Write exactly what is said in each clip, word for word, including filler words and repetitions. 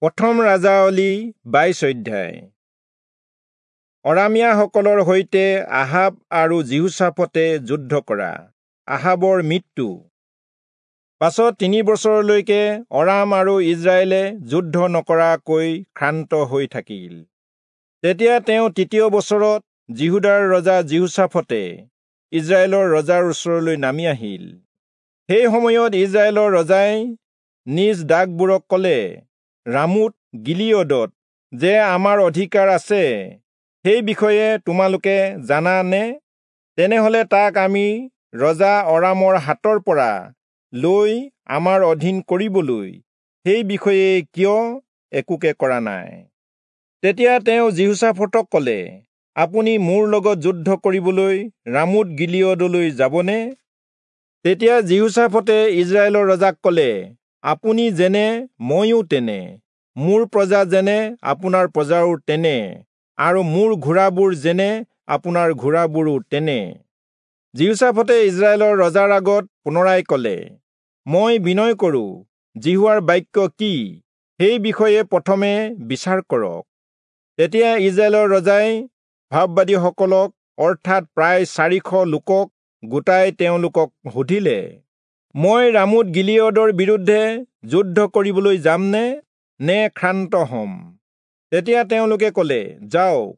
প্ৰথম ৰাজাৱলী বাইশ অধ্যায়। অৰামীয়াসকলৰ সৈতে আহাব আৰু যিহোচাফটে যুদ্ধ কৰা। আহাবৰ মৃত্যু। পাছত তিনি বছৰলৈকে অৰাম আৰু ইজৰাইলে যুদ্ধ নকৰাকৈ ক্ষান্ত হৈ থাকিল। তেতিয়া তেওঁ তৃতীয় বছৰত যিহূদাৰ ৰজা যিহোচাফটে ইজৰাইলৰ ৰজাৰ ওচৰলৈ নামি আহিল। সেই সময়ত ইজৰাইলৰ ৰজাই নিজ দাসবোৰক ক'লে, ৰামোত গিলিয়দত যে আমাৰ অধিকাৰ আছে, সেই বিষয়ে তোমালোকে জানা নে? তেনেহলে তাক আমি ৰজা অৰামৰ হাতৰ পৰা লৈ আমাৰ অধীন কৰিবলৈ সেই বিষয়ে কিয় একোকে কৰা নাই? তেতিয়া তেওঁ যিহোচাফটক ক'লে, আপুনি মোৰ লগত যুদ্ধ কৰিবলৈ ৰামোত গিলিয়দলৈ যাবনে? তেতিয়া যিহোচাফটে ইজৰাইলৰ ৰজাক ক'লে, আপুনি যেনে ময়ো তেনে, মোৰ প্ৰজা যেনে আপোনাৰ প্ৰজাও তেনে, আৰু মোৰ ঘোঁৰাবোৰ যেনে আপোনাৰ ঘোঁৰাবোৰো তেনে। যিহোচাফটে ইজৰাইলৰ ৰজাৰ আগত পুনৰাই ক'লে, মই বিনয় কৰোঁ, যিহোৱাৰ বাক্য কি সেই বিষয়ে প্ৰথমে বিচাৰ কৰক। তেতিয়া ইজৰাইলৰ ৰজাই ভাববাদীসকলক অৰ্থাৎ প্ৰায় চাৰিশ লোকক গোটাই তেওঁলোকক সুধিলে, মই ৰামোত গিলিয়দৰ বিৰুদ্ধে যুদ্ধ কৰিবলৈ যামনে নে ক্ষান্ত হ'ম? তেতিয়া তেওঁলোকে ক'লে, যাওক,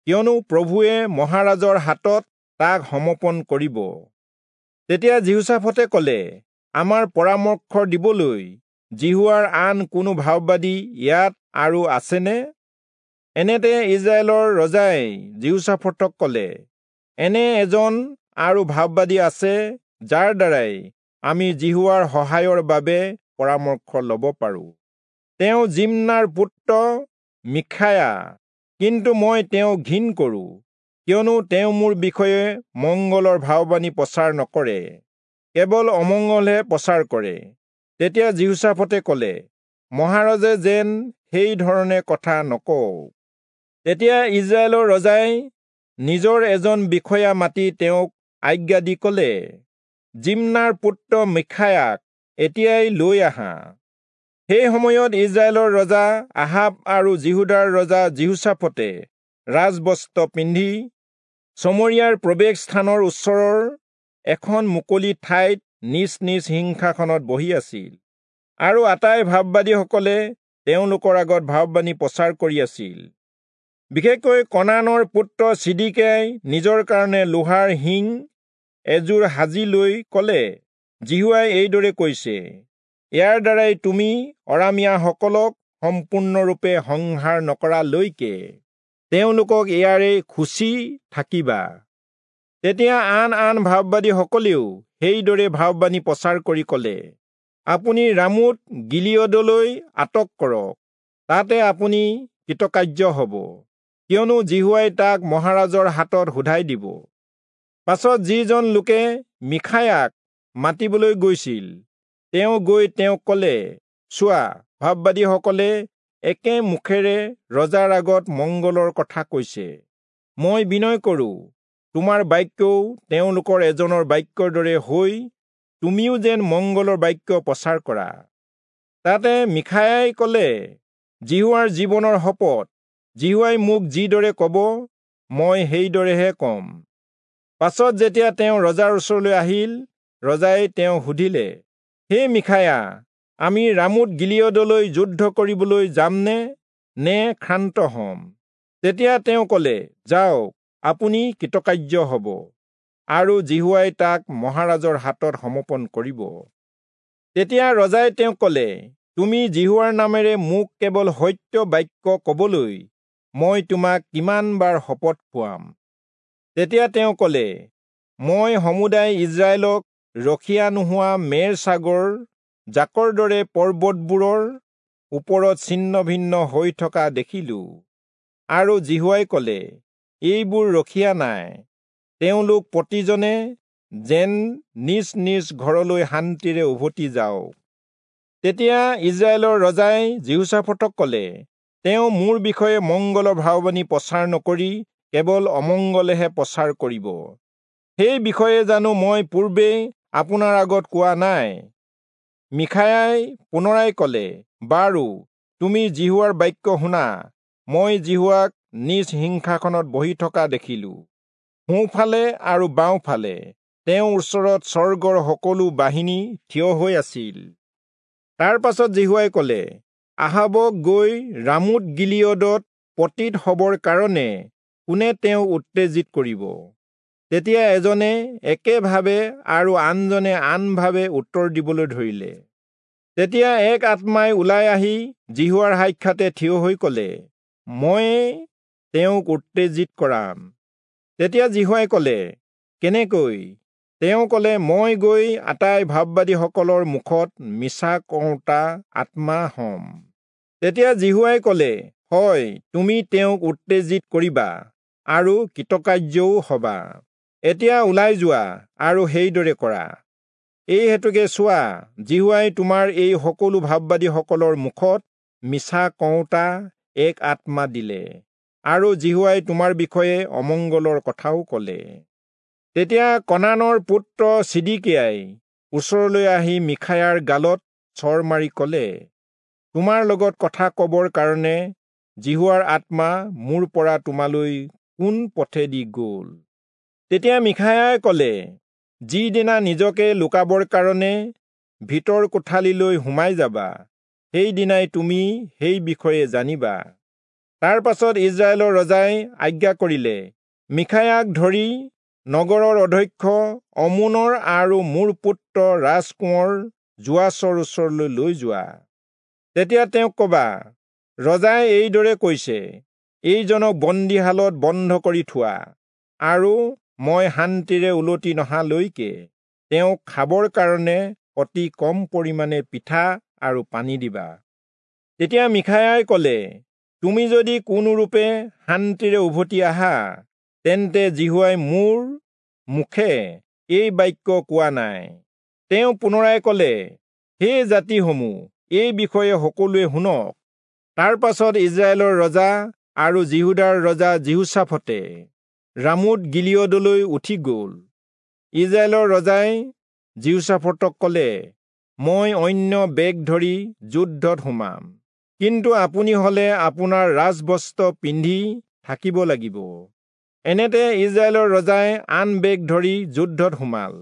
কিয়নো প্ৰভুৱে মহাৰাজৰ হাতত তাক সমৰ্পণ কৰিব। তেতিয়া যিহোচাফটে ক'লে, আমাৰ পৰামৰ্শ দিবলৈ যিহোৱাৰ আন কোনো ভাববাদী ইয়াত আৰু আছেনে? এনেতে ইজৰাইলৰ ৰজাই যিহোচাফটক ক'লে, এনে এজন আৰু ভাববাদী আছে যাৰ দ্বাৰাই আমি যিহোৱাৰ সহায়ৰ বাবে পৰামৰ্শ ল'ব পাৰোঁ। তেওঁ জিম্নাৰ পুত্ৰ মীখায়া, কিন্তু মই তেওঁক ঘিণ কৰোঁ, কিয়নো তেওঁ মোৰ বিষয়ে মংগলৰ ভাববাণী প্ৰচাৰ নকৰে, কেৱল অমংগলহে প্ৰচাৰ কৰে। তেতিয়া যিহোচাফটে ক'লে, মহাৰাজে যেন সেই ধৰণে কথা নকওক। তেতিয়া ইজৰাইলৰ ৰজাই নিজৰ এজন বিষয়া মাতি তেওঁক আজ্ঞা দি ক'লে, জিম্নাৰ পুত্ৰ মীখায়াক এতিয়াই লৈ আহা। সেই সময়ত ইজৰাইলৰ ৰজা আহাব আৰু যিহূদাৰ ৰজা যিহোচাফটে ৰাজবস্ত্ৰ পিন্ধি চমৰীয়াৰ প্ৰৱেশ স্থানৰ ওচৰৰ এখন মুকলি ঠাইত নিজ নিজ সিংহাসনত বহি আছিল, আৰু আটাই ভাববাদীসকলে তেওঁলোকৰ আগত ভাববাণী প্ৰচাৰ কৰি আছিল। বিশেষকৈ কনানৰ পুত্ৰ চিদিকিয়াই নিজৰ কাৰণে লোহাৰ শিং এযোৰ সাজি লৈ ক'লে, যিহোৱাই এইদৰে কৈছে, ইয়াৰ দ্বাৰাই তুমি অৰামীয়াসকলক সম্পূৰ্ণৰূপে সংহাৰ নকৰালৈকে তেওঁলোকক ইয়াৰে খুচি থাকিবা। তেতিয়া আন আন ভাববাদীসকলেও সেইদৰে ভাববাণী প্ৰচাৰ কৰি ক'লে, আপুনি ৰামোত গিলিয়দলৈ আটক কৰক, তাতে আপুনি কৃতকাৰ্য হ'ব, কিয়নো যিহোৱাই তাক মহাৰাজৰ হাতত শোধাই দিব। পাছত যিজন লোকে মীখায়াক মাতিবলৈ গৈছিল, তেওঁ গৈ তেওঁক ক'লে, চোৱা, ভাববাদীসকলে একে মুখেৰে ৰজাৰ আগত মংগলৰ কথা কৈছে। মই বিনয় কৰোঁ, তোমাৰ বাক্যও তেওঁলোকৰ এজনৰ বাক্যৰ দৰে হৈ তুমিও যেন মংগলৰ বাক্য প্ৰচাৰ কৰা। তাতে মীখায়াই ক'লে, যিহোৱাৰ জীৱনৰ শপত, যিহোৱাই মোক যিদৰে ক'ব মই সেইদৰেহে ক'ম। পাছত যেতিয়া তেওঁ ৰজাৰ ওচৰলৈ আহিল, ৰজাই তেওঁ সুধিলে, হে মীখায়া, আমি ৰামোত গিলিয়দলৈ যুদ্ধ কৰিবলৈ যামনে নে ক্ষান্ত হ'ম? তেতিয়া তেওঁ ক'লে, যাওক, আপুনি কৃতকাৰ্য হ'ব, আৰু যিহোৱাই তাক মহাৰাজৰ হাতত সমৰ্পণ কৰিব। তেতিয়া ৰজাই তেওঁক ক'লে, তুমি যিহোৱাৰ নামেৰে মোক কেৱল সত্য বাক্য ক'বলৈ মই তোমাক কিমান বাৰ শপত খুৱাম? তেতিয়া তেওঁ ক'লে, মই সমুদায় ইজৰাইলক ৰখীয়া নোহোৱা মেৰ ছাগৰ জাকৰ দৰে পৰ্বতবোৰৰ ওপৰত ছিন্ন ভিন্ন হৈ থকা দেখিলোঁ। আৰু যিহোৱাই ক'লে, এইবোৰ ৰখীয়া নাই, তেওঁলোক প্ৰতিজনে যেন নিজ নিজ ঘৰলৈ শান্তিৰে উভতি যাওক। তেতিয়া ইজৰাইলৰ ৰজাই যিহোচাফটক ক'লে, তেওঁ মোৰ বিষয়ে মংগলৰ ভাববাণী প্ৰচাৰ নকৰি কেৱল অমংগলেহে প্ৰচাৰ কৰিব। সেই বিষয়ে জানো মই পূৰ্বেই আপোনাৰ আগত কোৱা নাই? মীখায়াই পুনৰাই ক'লে, বাৰু, তুমি যিহোৱাৰ বাক্য শুনা। মই যিহোৱাক নিজ সিংহাসনত বহি থকা দেখিলো, সোঁফালে আৰু বাওঁফালে তেওঁৰ ওচৰত স্বৰ্গৰ সকলো বাহিনী থিয় হৈ আছিল। তাৰ পাছত যিহোৱাই কলে, আহাবক গৈ ৰামোত গিলিয়দত পতিত হবৰ কাৰণে কোনে তেওঁক উত্তেজিত কৰিব? তেতিয়া এজনে একেভাৱে আৰু আনজনে আনভাৱে উত্তৰ দিবলৈ ধৰিলে। তেতিয়া এক আত্মাই ওলাই আহি যিহোৱাৰ সাক্ষাতে থিয় হৈ কলে, ময়ে তেওঁক উত্তেজিত কৰাম। তেতিয়া যিহোৱাই কলে, কেনেকৈ? তেওঁ কলে, মই গৈ আটাই ভাববাদীসকলৰ মুখত মিছা কওঁতা আত্মা হম। তেতিয়া যিহোৱাই কলে, হয়, তুমি তেওঁক উত্তেজিত কৰিবা আৰু কৃতকাৰ্যও হবা। এতিয়া ওলাই যোৱা আৰু সেইদৰে কৰা। এই হেতুকে চোৱা, যিহোৱাই তোমাৰ এই সকলো ভাববাদীসকলৰ মুখত মিছা কওঁতা এক আত্মা দিলে, আৰু যিহোৱাই তোমাৰ বিষয়ে অমংগলৰ কথাও কলে। তেতিয়া কনানৰ পুত্ৰ চিদিকিয়াই ওচৰলৈ আহি মিখায়াৰ গালত চৰ মাৰি কলে, তোমাৰ লগত কথা কবৰ কাৰণে যিহোৱাৰ আত্মা মোৰ পৰা তোমালৈ কোন পথেদি গল? তেতিয়া মিখায়াই কলে, যিদিনা নিজকে লুকাবৰ কাৰণে ভিতৰ কোঠালিলৈ সোমাই যাবা, সেইদিনাই তুমি সেই বিষয়ে জানিবা। তাৰ পাছত ইজৰাইলৰ ৰজাই আজ্ঞা কৰিলে, মিখায়াক ধৰি নগৰৰ অধ্যক্ষ অমোনৰ আৰু মোৰ পুত্ৰ ৰাজকোঁৱৰ যোৱাচৰ ওচৰলৈ লৈ যোৱা। তেতিয়া তেওঁক কবা, ৰজাই এইদৰে কৈছে, এইজনক বন্দীশালত বন্ধ কৰি থোৱা, আৰু মই শান্তিৰে উলটি নহালৈকে তেওঁক খাবৰ কাৰণে অতি কম পৰিমাণে পিঠা আৰু পানী দিবা। তেতিয়া মিখায়াই কলে, তুমি যদি কোনোৰূপে শান্তিৰে উভতি আহা, তেন্তে যিহোৱাই মোৰ মুখে এই বাক্য কোৱা নাই। তেওঁ পুনৰাই কলে, হে জাতিসমূহ, এই বিষয়ে সকলোৱে শুনক। তাৰ পাছত ইজৰাইলৰ ৰজা আৰু যিহূদাৰ ৰজা যিহোচাফটে ৰামোত গিলিয়দলৈ উঠি গল। ইজৰাইলৰ ৰজাই যিহোচাফটক কলে, মই অন্য বেগ ধৰি যুদ্ধত সোমাম, কিন্তু আপুনি হলে আপোনাৰ ৰাজবস্ত্ৰ পিন্ধি থাকিব লাগিব। এনেতে ইজৰাইলৰ ৰজাই আন বেগ ধৰি যুদ্ধত সোমাল।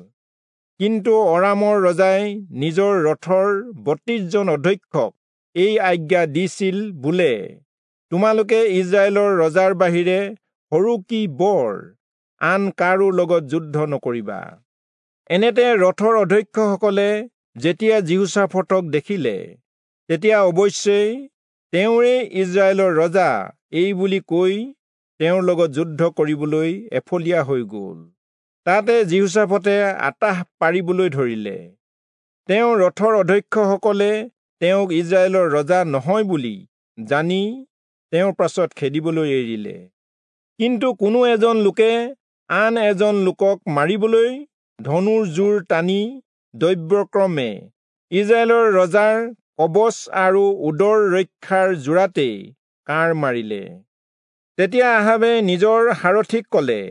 কিন্তু অৰামৰ ৰজাই নিজৰ ৰথৰ বত্ৰিশজন অধ্যক্ষক এই আজ্ঞা দিছিল বোলে, তোমালোকে ইজৰাইলৰ ৰজাৰ বাহিৰে সৰু কি বৰ আন কাৰো লগত যুদ্ধ নকৰিবা। এনেতে ৰথৰ অধ্যক্ষসকলে যেতিয়া যিহোচাফটক দেখিলে, তেতিয়া অৱশ্যেই তেওঁৰে ইজৰাইলৰ ৰজা এই বুলি কৈ তেওঁৰ লগত যুদ্ধ কৰিবলৈ এফলীয়া হৈ গল। তাতে যিহোচাফটে আতাহ পাৰিবলৈ ধৰিলে। তেওঁ ৰথৰ অধ্যক্ষসকলে তেওঁক ইজৰাইলৰ ৰজা নহয় বুলি জানি তেওঁৰ পাছত খেদিবলৈ এৰিলে। কিন্তু কোনো এজন লোকে আন এজন লোকক মাৰিবলৈ ধনুৰ জোৰ টানি দৈব্যক্ৰমে ইজৰাইলৰ ৰজাৰ কবচ আৰু উদৰ ৰক্ষাৰ জোৰাতেই কাঁড় মাৰিলে। তেতিয়া আহাবে নিজৰ সাৰথিক কলে,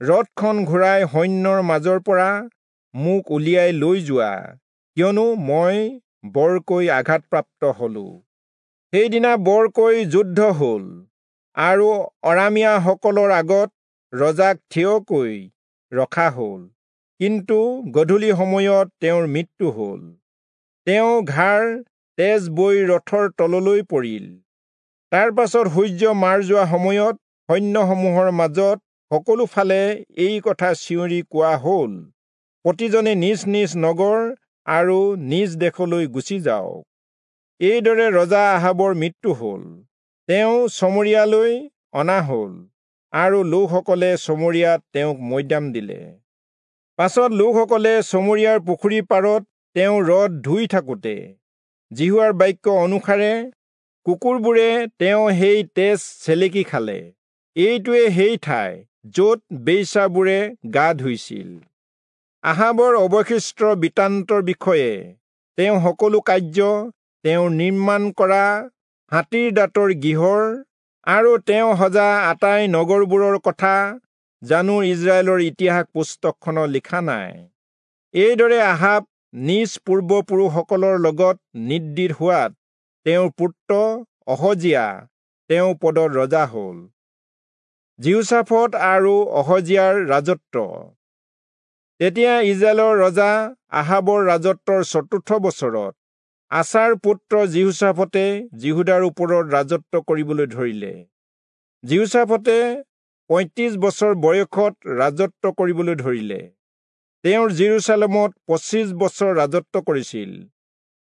ৰথখন ঘূৰাই সৈন্যৰ মাজৰ পৰা মোক উলিয়াই লৈ যোৱা, কিয়নো মই বৰকৈ আঘাতপ্ৰাপ্ত হলো। সেইদিনা বৰকৈ যুদ্ধ হল, আৰু অৰামীয়াসকলৰ আগত ৰজাক থিয়কৈ ৰখা হল। কিন্তু গধূলি সময়ত তেওঁৰ মৃত্যু হল। তেওঁ ঘাৰ তেজ বৈ ৰথৰ তললৈ পৰিল। তাৰ পাছত সূৰ্য মাৰ যোৱা সময়ত সৈন্যসমূহৰ মাজত সকলো ফালে এই কথা চিঞৰি কোৱা হল, প্ৰতিজনে নিজ নিজ নগৰ আৰু নিজ দেশলৈ গুচি যাওক। এইদৰে ৰজা আহাবৰ মৃত্যু হল। তেওঁ চমৰীয়ালৈ অনা হল, আৰু লোকসকলে চমৰীয়াত তেওঁক মৈদাম দিলে। পাছত লোকসকলে চমৰীয়াৰ পুখুৰীৰ পাৰত তেওঁ ৰথ ধুই থাকোঁতে যিহোৱাৰ বাক্য অনুসাৰে কুকুৰবোৰে তেওঁ সেই তেজ চেলেকি খালে। এইটোৱে সেই ঠাই য'ত বেশ্যাবোৰে গা ধুইছিল। আহাবৰ অৱশিষ্ট বৃত্তান্তৰ বিষয়ে তেওঁ সকলো কাৰ্য, তেওঁ নিৰ্মাণ কৰা হাতীৰ দাঁতৰ গৃহৰ আৰু তেওঁ সজা আটাই নগৰবোৰৰ কথা জানো ইজৰাইলৰ ইতিহাস পুস্তকখনত লিখা নাই? এইদৰে আহাব নিজ পূৰ্বপুৰুষসকলৰ লগত নিদ্ৰিত হোৱাত তেওঁৰ পুত্ৰ অহজিয়া তেওঁ পদত ৰজা হ'ল। যিহোচাফট আৰু অহজিয়াৰ ৰাজত্ব। তেতিয়া ইজৰাইলৰ ৰজা আহাবৰ ৰাজত্বৰ চতুৰ্থ বছৰত আচাৰ পুত্ৰ যিহোচাফটে যিহূদাৰ ওপৰত ৰাজত্ব কৰিবলৈ ধৰিলে। যিহোচাফটে পঁয়ত্ৰিশ বছৰ বয়সত ৰাজত্ব কৰিবলৈ ধৰিলে। তেওঁৰ যিৰূচালেমত পঁচিছ বছৰ ৰাজত্ব কৰিছিল।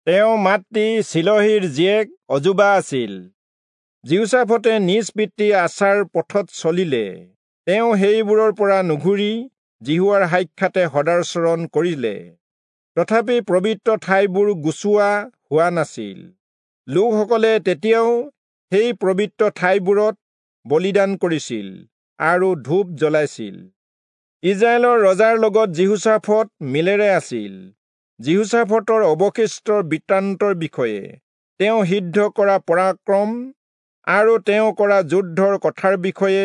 তেওঁ মাতৃ চিলহীৰ জীয়েক অজুবা আছিল। যিহোচাফটে নিজ পিতৃ আচাৰ পথত চলিলে। তেওঁ সেইবোৰৰ পৰা নুঘূৰি যিহোৱাৰ সাক্ষাতে সদাচৰণ কৰিলে। তথাপি পবিত্ৰ ঠাইবোৰ গুচোৱা হোৱা নাছিল। লোকসকলে তেতিয়াও সেই পবিত্ৰ ঠাইবোৰত বলিদান কৰিছিল আৰু ধূপ জ্বলাইছিল। ইজৰাইলৰ ৰজাৰ লগত যিহোচাফট মিলেৰে আছিল। যিহোচাফটৰ অৱশিষ্ট বৃত্তান্তৰ বিষয়ে, তেওঁ সিদ্ধ কৰা পৰাক্ৰম আৰু তেওঁ কৰা যুদ্ধৰ কথাৰ বিষয়ে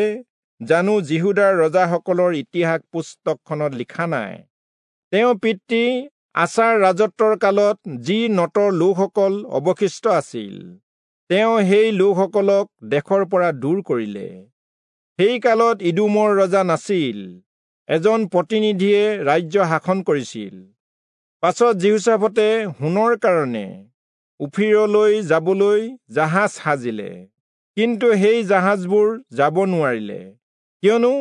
জানো যিহূদাৰ ৰজাসকলৰ ইতিহাস পুস্তকখনত লিখা নাই? তেওঁ পিতৃ আচাৰ ৰাজত্বৰ কালত যি নতৰ লোকসকল অৱশিষ্ট আছিল, তেওঁ সেই লোকসকলক দেশৰ পৰা দূৰ কৰিলে। সেই কালত ইদোমৰ ৰজা নাছিল, এজন প্ৰতিনিধিয়ে ৰাজ্য শাসন কৰিছিল। পাছত যিহোচাফটে সোণৰ কাৰণে ওফিৰলৈ যাবলৈ জাহাজ সাজিলে, কিন্তু সেই জাহাজবোৰ যাব নোৱাৰিলে, কিয়নো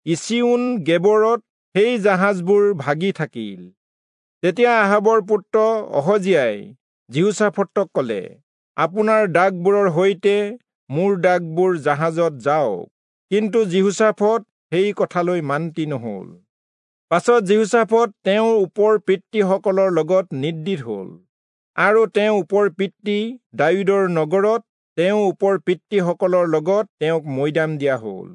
ইচিয়োন গেবৰত সেই জাহাজবোৰ ভাগি থাকিল। তেতিয়া আহাবৰ পুত্ৰ অহজিয়াই যিহোচাফটক ক'লে, আপোনাৰ দাসবোৰৰ সৈতে মোৰ দাসবোৰ জাহাজত যাওক। কিন্তু যিহোচাফট সেই কথালৈ মান্তি নহল। পাছত যিহোচাফট তেওঁৰ ওপৰ পিতৃসকলৰ লগত নিদ্ৰিত হ'ল আৰু তেওঁ ওপৰ পিতৃ দায়ূদৰ নগৰত তেওঁ ওপৰ পিতৃসকলৰ লগত তেওঁক মৈদাম দিয়া হ'ল।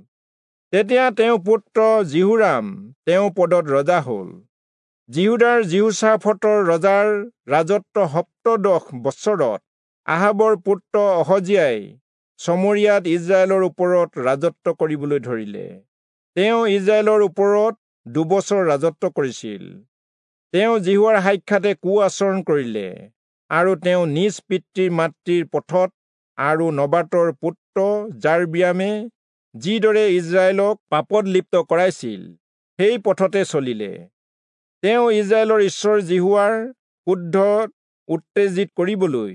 তেতিয়া তেওঁ পুত্ৰ যিহোৰাম তেওঁ পদত ৰজা হ'ল। যিহূদাৰ যিহোচাফটৰ ৰজাৰ ৰাজত্ব সপ্তদশ বছৰত আহাবৰ পুত্ৰ অহজিয়াই চমৰিয়াত ইজৰাইলৰ ওপৰত ৰাজত্ব কৰিবলৈ ধৰিলে। তেওঁ ইজৰাইলৰ ওপৰত দুবছৰ ৰাজত্ব কৰিছিল। তেওঁ যিহোৱাৰ সাক্ষাতে কু আচৰণ কৰিলে আৰু তেওঁ নিজ পিতৃ মাতৃৰ পথত আৰু নবাতৰ পুত্ৰ যাৰবিয়ামে যিদৰে ইজৰাইলক পাপত লিপ্ত কৰাইছিল সেই পথতে চলিলে। তেওঁ ইজৰাইলৰ ঈশ্বৰ যিহোৱাৰ ক্ৰোধ উত্তেজিত কৰিবলৈ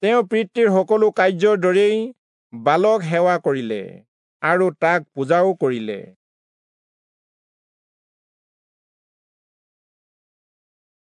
তেওঁ পিতৃৰ সকলো কাৰ্যৰ দৰেই বালক সেৱা কৰিলে আৰু তাক পূজাও কৰিলে।